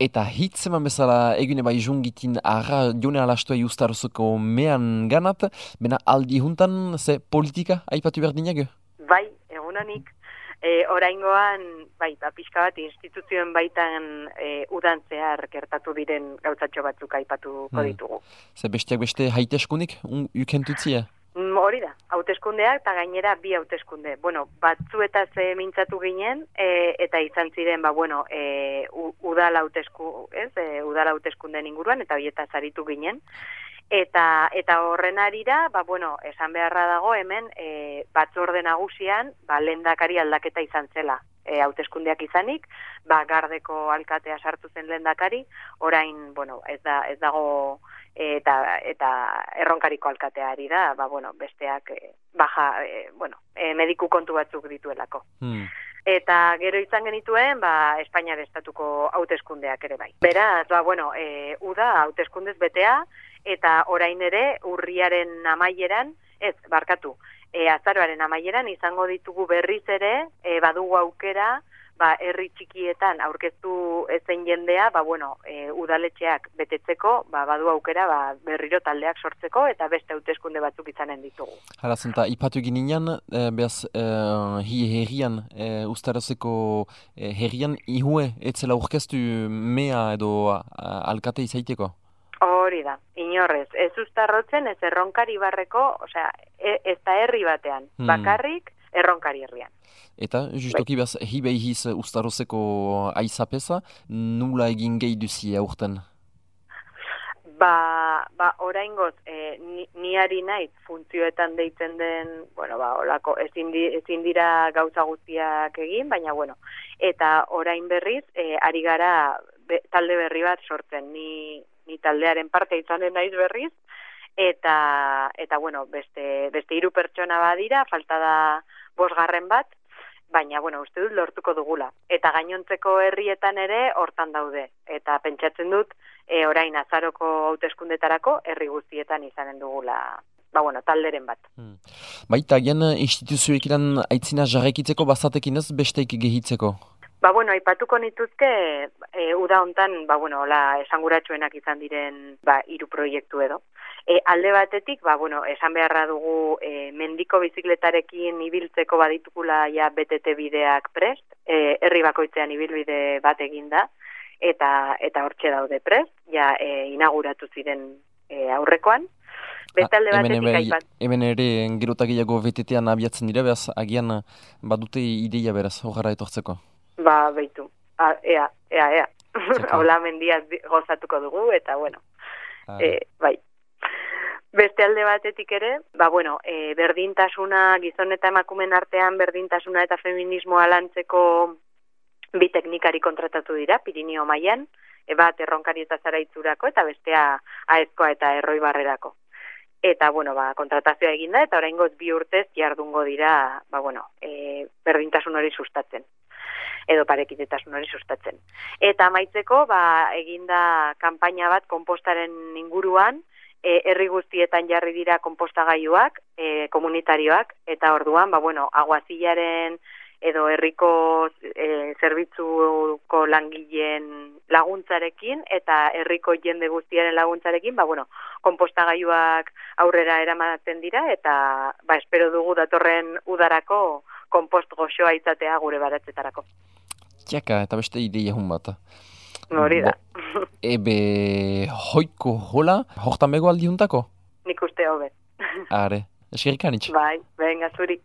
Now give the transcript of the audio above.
Eta hitz eman bezala egune bai jungitin arra jone alastua justarozoko mean ganat, bena aldi juntan ze politika aipatu behar dinag? Bai, egunonik. Oraingoan, bai, pixka bat instituzioen baitan udan zehar gertatu diren gauzatxo batzuk aipatuko ditugu. Ze besteak beste haiteskunik ukentutzia? Hori da, hauteskundeak eta gainera bi hauteskunde. Bueno, batzuetaz mintzatu ginen eta izan ziren, udal hauteskunden inguruan eta horietaz aritu ginen. Eta horren arira, esan beharra dago hemen batzorde nagusian, lehendakari aldaketa izan zela. Hauteskundeak izanik, Gardeko alkatea sartu zen lehendakari, orain, ez dago eta erronkariko alkatea ari da, besteak mediku kontu batzuk dituelako. Eta gero izan genituen, Espainiar estatuko hauteskundeak ere bai. Beraz, uda hauteskundez betea, eta orain ere urriaren amaieran, azaroaren amaieran izango ditugu berriz ere, badugu aukera, herri txikietan aurkeztu ezen jendea, udaletxeak betetzeko, badu aukera berriro taldeak sortzeko eta beste hauteskunde batzuk izanen ditugu. Harazenta, ipatu ginean, behaz, herrian, ustarozeko herrian, ihue, etzela aurkeztu mea edo alkate izaiteko? Hori da, inorrez, ez ustarrotzen, ez erronkari barreko, ez da herri batean, bakarrik erronkari herrian. Eta, justoki behaz, hibeihiz ustarozeko aizapeza, nula egin gehi duzi aurten? Oraingoz, ni ari naiz funtzioetan deitzen den, olako, ezin dira gauza guztiak egin, baina, eta orain berriz, ari gara talde berri bat sortzen, ni taldearen parte izanen naiz berriz, eta beste 3 pertsona badira, falta da 5 bat, baina, uste dut lortuko dugula. Eta gainontzeko herrietan ere hortan daude. Eta pentsatzen dut, orain azaroko hauteskundetarako herri guztietan izanen dugula, talderen bat. Baita, gian instituzioek iran aitzina jarrekitzeko bazatekin ez besteik gehitzeko? Aipatuko nituzke, uda hontan, esanguratsuenak izan diren 3 proiektu edo. Alde batetik, esan beharra dugu mendiko bizikletarekin ibiltzeko baditukula BTT bideak prest, herri bakoitzean ibilbide bat eginda, eta hortxe daude prest, inauguratu ziren aurrekoan. Beste alde batetik aipat. Hemen ere gerotak gehiago BTT-an abiatzen dira, behaz, agian badute ideia beraz, horra etortzeko? Beitu, ea. Hola mendiaz gozatuko dugu, eta bai. Beste alde batetik ere, berdintasuna, gizon eta emakumeen artean berdintasuna eta feminismoa lantzeko 2 teknikari kontratatu dira, Pirinio mailan, bat erronkari eta zaraitzurako, eta bestea aezkoa eta erroi barrerako. Eta, kontratazioa eginda, eta oraingoz 2 urtez jardungo dira, berdintasun hori sustatzen, edo parekidetasun hori sustatzen. Eta amaitzeko, eginda kanpaina bat konpostaren inguruan, herri guztietan jarri dira konpostagailuak, komunitarioak, eta orduan, aguazilaren edo herriko zerbitzuko langileen laguntzarekin, eta herriko jende guztiaren laguntzarekin, konpostagailuak aurrera eramaten dira, eta espero dugu datorren udarako konpost goxoa izatea gure baratzetarako. Tiaka, eta beste ideia hun bat. Hori da. Ebe hoiko hola, hortan bego aldi juntako? Nik uste hobe. Are, eskerrik anitz. Bai, venga, zuri.